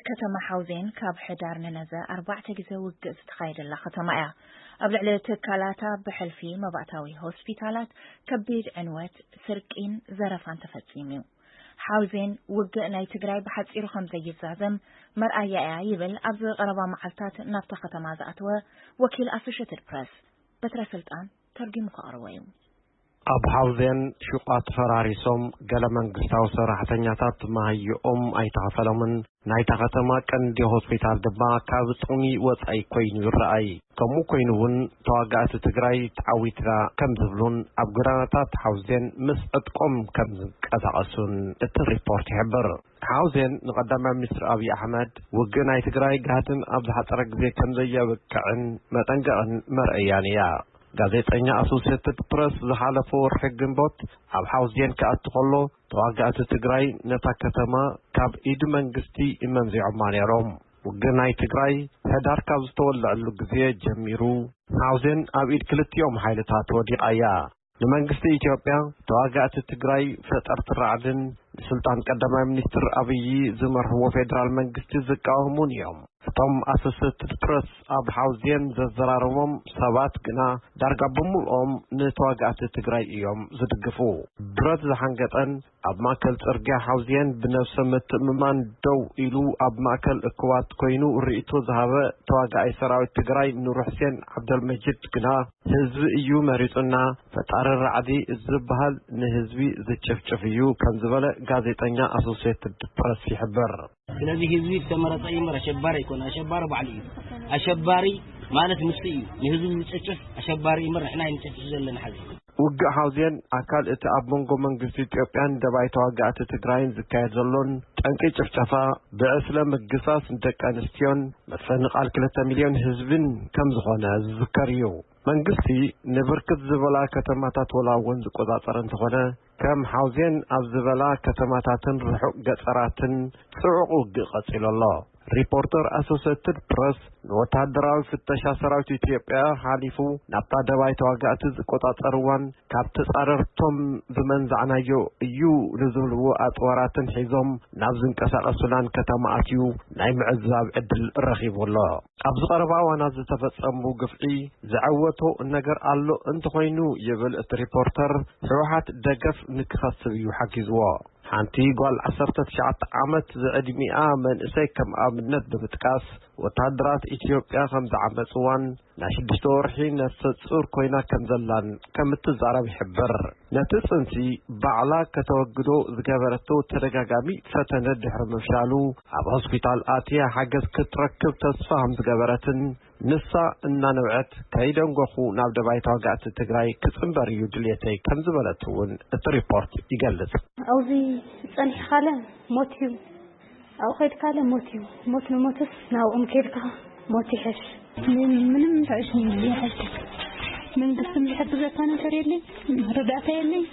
ከተማ ሓውዜን ካብ ሕዳር ንነዘ ኣርባዕተ ግዜ ውግእ ዝተኻየደላ ከተማ እያ። ኣብ ልዕሊ ትካላታ ብሕልፊ መባእታዊ ሆስፒታላት ከቢድ ዕንወት፣ ስርቂን ዘረፋን ተፈጺሙ እዩ። ሓውዜን ውግእ ናይ ትግራይ ብሓጺሩ ከም ዘይዛዘም መርኣያ እያ ይብል ኣብዚ ቀረባ መዓልታት ናብታ ከተማ ዝኣተወ ወኪል ኣሶሽትድ ፕረስ። በትረ ስልጣን ተርጊሙ ከቕርቦ እዩ። ኣብ ሓውዜን ሹቓት ፈራሪሶም፣ ገለ መንግስታዊ ሰራሕተኛታት መሃይኦም ኣይተኸፈሎምን። ናይታ ከተማ ቀንዲ ሆስፒታል ድማ ካብ ጥቕሚ ወጻኢ ኮይኑ ይረኣይ። ከምኡ ኮይኑ እውን ተዋጋእቲ ትግራይ ተዓዊትና ከም ዝብሉን ኣብ ጎዳናታት ሓውዜን ምስ ዕጥቆም ከም ዝንቀሳቐሱን እቲ ሪፖርት ይሕብር። ሓውዜን ንቀዳማይ ሚኒስትር ኣብይ ኣሕመድ ውግእ ናይ ትግራይ ጋህድን ኣብ ዝሓጸረ ግዜ ከም ዘየብቅዕን መጠንቀቕን መርኣያን እያ። ጋዜጠኛ ኣሶሴትድ ፕረስ ዝሓለፈ ወርሒ ግንቦት ኣብ ሓውዜን ክኣቱ ከሎ፣ ተዋጋእቲ ትግራይ ነታ ከተማ ካብ ኢድ መንግስቲ መንዚዖማ ነይሮም። ውግእ ናይ ትግራይ ሕዳር ካብ ዝተወልዐሉ ግዜ ጀሚሩ፣ ሓውዜን ኣብ ኢድ ክልቲኦም ሓይልታት ወዲቓ እያ። ንመንግስቲ ኢትዮጵያ፣ ተዋጋእቲ ትግራይ ፈጠርቲ ራዕድን ንስልጣን ቀዳማይ ሚኒስትር ኣብይ ዝመርሕዎ ፌዴራል መንግስቲ ዝቃወሙን እዮም። እቶም ኣሶሴትድ ፕረስ ኣብ ሓውዜን ዘዘራረቦም ሰባት ግና ዳርጋ ብምልኦም ንተዋጋእቲ ትግራይ እዮም ዝድግፉ። ብረት ዝሓንገጠን ኣብ ማእከል ጽርግያ ሓውዜን ብነብሰ ምትእምማን ደው ኢሉ ኣብ ማእከል እኩባት ኮይኑ ርእይቶ ዝሃበ ተዋጋኣይ ሰራዊት ትግራይ ኑር ሕሴን ዓብደልመጂድ ግና፣ ህዝቢ እዩ መሪጹና፣ ፈጣሪ ራዕዲ ዝበሃል ንህዝቢ ዝጭፍጭፍ እዩ ከም ዝበለ ጋዜጠኛ ኣሶሴትድ ፕረስ ይሕብር። ስለዚ ህዝቢ ዝተመረጸ እዩ እምበር ኣሸባሪ ኣይኮነ። ኣሸባሪ ባዕሉ እዩ። ኣሸባሪ ማለት ንሱ እዩ። ንህዝቢ ዝጭፍጭፍ ኣሸባሪ እዩ እምበር ንሕና ኣይንጭፍጭፍ ዘለና ሓዚ። ውግእ ሓውዜን ኣካል እቲ ኣብ መንጎ መንግስቲ ኢትዮጵያን ደባይ ተዋጋእቲ ትግራይን ዝካየድ ዘሎን ጠንቂ ጭፍጨፋ፣ ብዕስለ ምግሳስ ደቂ ኣንስትዮን ምፍንቓል ክልተ ሚልዮን ህዝብን ከም ዝኾነ ዝዝከር እዩ። መንግስቲ ንብርክት ዝበላ ከተማታት ወላ እውን ዝቆጻጸረ እንተኾነ፣ ከም ሓውዜን ኣብ ዝበላ ከተማታትን ርሑቕ ገጠራትን ጽዑቕ ውግእ ቀጺሉ ኣሎ። ሪፖርተር ኣሶሴትድ ፕረስ ንወተሃደራዊ ፍተሻ ሰራዊት ኢትዮጵያ ሓሊፉ ናብታ ደባይ ተዋጋእቲ ዝቆጻጸርዋን ካብ ተጻረርቶም ዝመንዛዕናዮ እዩ ንዝብልዎ ኣጽዋራትን ሒዞም ናብ ዝንቀሳቐሱላን ከተማ ኣትዩ ናይ ምዕዛብ ዕድል ረኺቡ ኣሎ። ኣብዚ ቀረባ እዋናት ዝተፈጸሙ ግፍዒ ዘዐወቶ ነገር ኣሎ እንተኾይኑ ይብል እቲ ሪፖርተር፣ ህወሓት ደገፍ ንክኸስብ እዩ ሓጊዝዎ። ሓንቲ ጓል ዓሰርተ ትሽዓተ ዓመት ዝዕድሚኣ መንእሰይ ከም ኣብነት ብምጥቃስ፣ ወተሃደራት ኢትዮጵያ ከም ዝዓመጽዋን ናይ ሽዱሽተ ወርሒ ነፍሰ ጹር ኮይና ከም ዘላን ከም እትዛረብ ይሕብር። ነቲ ጽንሲ ባዕላ ከተወግዶ ዝገበረቶ ተደጋጋሚ ፈተነ ድሕሪ ምፍሻሉ፣ ኣብ ሆስፒታል ኣትያ ሓገዝ ክትረክብ ተስፋ ከም ዝገበረትን፣ ንሳ እናነብዐት፣ "ከይደንጎኹ ናብ ደባይ ተዋጋእቲ ትግራይ ክጽንበር እዩ ድልየተይ" ከም ዝበለት እውን እቲ ሪፖርት ይገልጽ። ኣብዚ ጸኒሕካለ ሞት እዩ፣ ኣብኡ ከይድካለ ሞት እዩ። ሞት ንሞትስ ናብኦም ከይድካ ሞት ይሕሽ። ምንም ተዕሽ ይሕሽ። መንግስትን ዝሕግዘካ ነገር የለይ፣ ረዳእታ የለይ።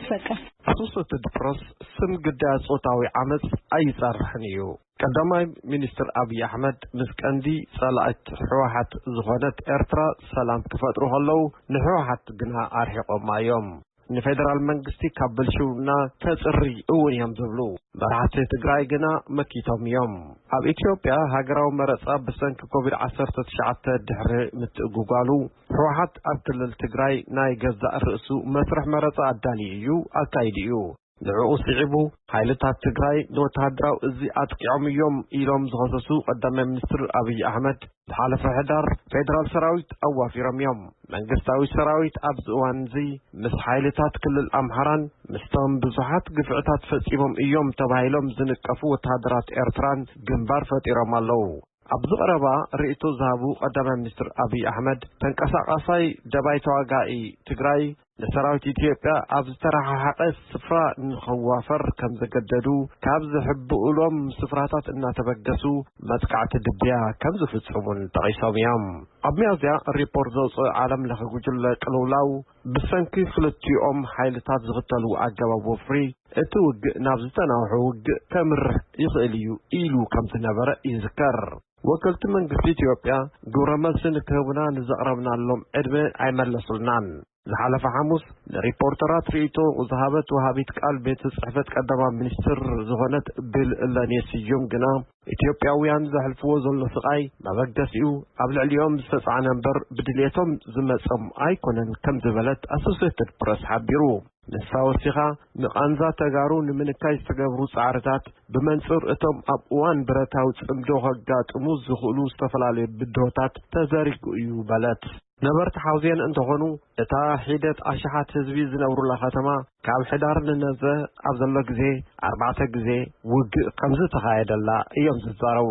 በቃ። ኣሶሴትድ ፕረስ ስም ግዳያት ጾታዊ ዓመጽ ኣይጸርሕን እዩ። ቀዳማይ ሚኒስትር ኣብይ ኣሕመድ ምስ ቀንዲ ጸላእት ህወሓት ዝኾነት ኤርትራ ሰላም ክፈጥሩ ከለዉ፣ ንህወሓት ግና ኣርሒቖማ እዮም። ንፌደራል መንግስቲ ካብ ብልሽውና ከጽሪ እውን እዮም ዝብሉ መራሕቲ ትግራይ ግና መኪቶም እዮም። ኣብ ኢትዮጵያ ሃገራዊ መረጻ ብሰንኪ ኮቪድ ዓሰርተ ትሽዓተ ድሕሪ ምትእጉጓሉ፣ ህወሓት ኣብ ክልል ትግራይ ናይ ገዛእ ርእሱ መስርሕ መረጻ ኣዳልዩ እዩ፣ ኣካይዱ እዩ። ንዕኡ ስዒቡ፣ ሓይልታት ትግራይ ንወተሃደራዊ እዚ ኣጥቂዖም እዮም ኢሎም ዝኸሰሱ ቀዳማይ ሚኒስትር ኣብይ ኣሕመድ፣ ዝሓለፈ ሕዳር ፌደራል ሰራዊት ኣዋፊሮም እዮም። መንግስታዊ ሰራዊት ኣብዚ እዋን እዚ ምስ ሓይልታት ክልል ኣምሓራን ምስቶም ብዙሓት ግፍዕታት ፈጺሞም እዮም ተባሂሎም ዝንቀፉ ወተሃደራት ኤርትራን ግንባር ፈጢሮም ኣለዉ። ኣብዚ ቀረባ ርእይቶ ዝሃቡ ቀዳማይ ሚኒስትር ኣብይ ኣሕመድ፣ ተንቀሳቓሳይ ደባይ ተዋጋኢ ትግራይ ንሰራዊት ኢትዮጵያ ኣብ ዝተረሓሓቐ ስፍራ ንኸዋፈር ከም ዘገደዱ፣ ካብ ዝሕብኡሎም ስፍራታት እናተበገሱ መጥቃዕቲ ድብያ ከም ዝፍጽሙን ጠቒሶም እዮም። ኣብ ሚያዝያ ሪፖርት ዘውፅእ ዓለም ለኸ ጉጅለ ቅልውላው፣ ብሰንኪ ክልቲኦም ሓይልታት ዝኽተሉ ኣገባብ ወፍሪ እቲ ውግእ ናብ ዝተናውሐ ውግእ ከምርሕ ይኽእል እዩ ኢሉ ከም ዝነበረ ይዝከር። ወከልቲ መንግስቲ ኢትዮጵያ ግብረ መልሲ ንክህቡና ንዘቕረብናሎም ዕድመ ኣይመለሱልናን። ዝሓለፈ ሓሙስ ንሪፖርተራት ርእይቶ ዝሃበት ወሃቢት ቃል ቤት ጽሕፈት ቀዳማይ ሚኒስትር ዝኾነት ቢል ለኔ ስዩም ግና፣ ኢትዮጵያውያን ዘሕልፍዎ ዘሎ ስቓይ መበገሲኡ ኣብ ልዕሊኦም ዝተጻዕነ እምበር ብድልየቶም ዝመጾም ኣይኮነን ከም ዝበለት ኣሶሴትድ ፕረስ ሓቢሩ። ንሳ ወሲኻ፣ ንቓንዛ ተጋሩ ንምንካይ ዝተገብሩ ጻዕርታት ብመንጽር እቶም ኣብ እዋን ብረታዊ ጽምዶ ከጋጥሙ ዝኽእሉ ዝተፈላለዩ ብድሆታት ተዘሪጉ እዩ በለት። ነበርቲ ሓውዜን እንተኾኑ፣ እታ ሒደት ኣሽሓት ህዝቢ ዝነብሩላ ከተማ ካብ ሕዳር ንነዘ ኣብ ዘሎ ግዜ ኣርባዕተ ግዜ ውግእ ከም ዝተኻየደላ እዮም ዝዛረቡ።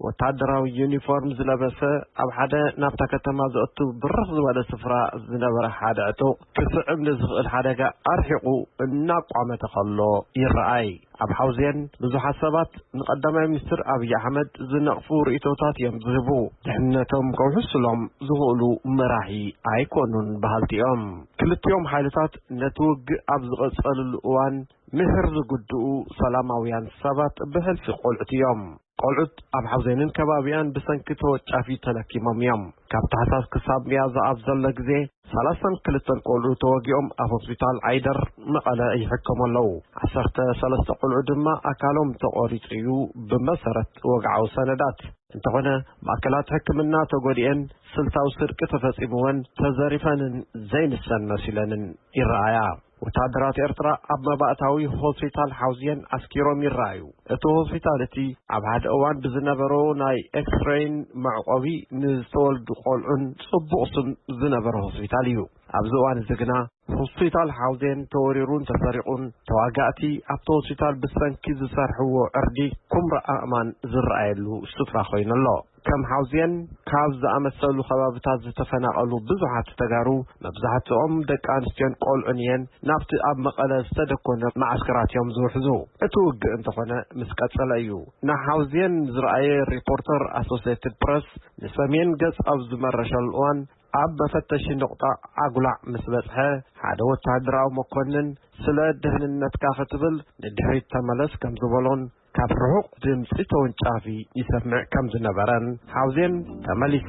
ወታደራዊ ዩኒፎርም ዝለበሰ፣ ኣብ ሓደ ናብታ ከተማ ዘእቱ ብርኽ ዝበለ ስፍራ ዝነበረ ሓደ ዕጡቕ ክስዕብ ንዝኽእል ሓደጋ ኣርሒቑ እናቋመተ ከሎ ይረኣይ። ኣብ ሓውዜን ብዙሓት ሰባት ንቀዳማይ ሚኒስትር ኣብይ ኣሕመድ ዝነቕፉ ርእይቶታት እዮም ዝህቡ። ድሕነቶም ከውሕስሎም ዝኽእሉ መራሒ ኣይኮኑን በሃልቲ እዮም። ክልቲኦም ሓይልታት ነቲ ውግእ ኣብ ዝቐጸልሉ እዋን፣ ምሕር ዝጉድኡ ሰላማውያን ሰባት ብሕልፊ ቆልዑት እዮም። ቆልዑት ኣብ ሓውዜንን ከባቢኣን ብሰንኪ ተወጫፊ ተለኪሞም እዮም። ካብ ታሕሳስ ክሳብ ሚያዝያ ኣብ ዘሎ ግዜ፣ ሰላሳን ክልተን ቆልዑ ተወጊኦም ኣብ ሆስፒታል ዓይደር መቐለ ይሕከሙ ኣለዉ። ዓሰርተ ሰለስተ ቆልዑ ድማ ኣካሎም ተቖሪጹ እዩ፣ ብመሰረት ወግዓዊ ሰነዳት። እንተኾነ፣ ማእከላት ሕክምና ተጎዲኤን፣ ስልታዊ ስርቂ ተፈጺምወን፣ ተዘሪፈንን ዘይንሰን መሲለንን ይረኣያ። ወታደራት ኤርትራ ኣብ መባእታዊ ሆስፒታል ሓውዝየን ኣስኪሮም ይረኣዩ። እቲ ሆስፒታል እቲ ኣብ ሓደ እዋን ብዝነበሮ ናይ ኤክስሬይን መዕቆቢ ንዝተወልዱ ቆልዑን ጽቡቕ ስም ዝነበረ ሆስፒታል እዩ። ኣብዚ እዋን እዚ ግና ሆስፒታል ሓውዜን ተወሪሩን ተሰሪቑን፣ ተዋጋእቲ ኣብቲ ሆስፒታል ብሰንኪ ዝሰርሕዎ ዕርዲ ኩምራ ኣእማን ዝረኣየሉ ስፍራ ኮይኑ ኣሎ። ከም ሓውዜን ካብ ዝኣመሰሉ ከባብታት ዝተፈናቐሉ ብዙሓት ተጋሩ፣ መብዛሕትኦም ደቂ ኣንስትዮን ቆልዑን እየን፣ ናብቲ ኣብ መቐለ ዝተደኮነ መዓስከራት እዮም ዝውሕዙ። እቲ ውግእ እንተኾነ ምስ ቀጸለ እዩ። ንሓውዜን ዝረኣየ ሪፖርተር ኣሶሴትድ ፕረስ፣ ንሰሜን ገጽ ኣብ ዝመረሸሉ እዋን፣ ኣብ መፈተሺ ነቑጣ ዓጉላዕ ምስ በጽሐ፣ ሓደ ወተሃደራዊ መኮንን፣ "ስለ ደህንነትካ ክትብል ንድሕሪት ተመለስ" ከም ዝበሎን፣ ካብ ርሑቕ ድምጺ ተወንጫፊ ይሰምዕ ከም ዝነበረን፣ ሓውዜን ተመሊሳ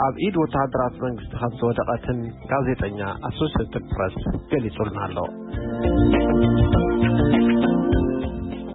ኣብ ኢድ ወተሃደራት መንግስቲ ከም ዝወደቐትን ጋዜጠኛ ኣሶሴትድ ፕረስ ገሊጹልና ኣሎ።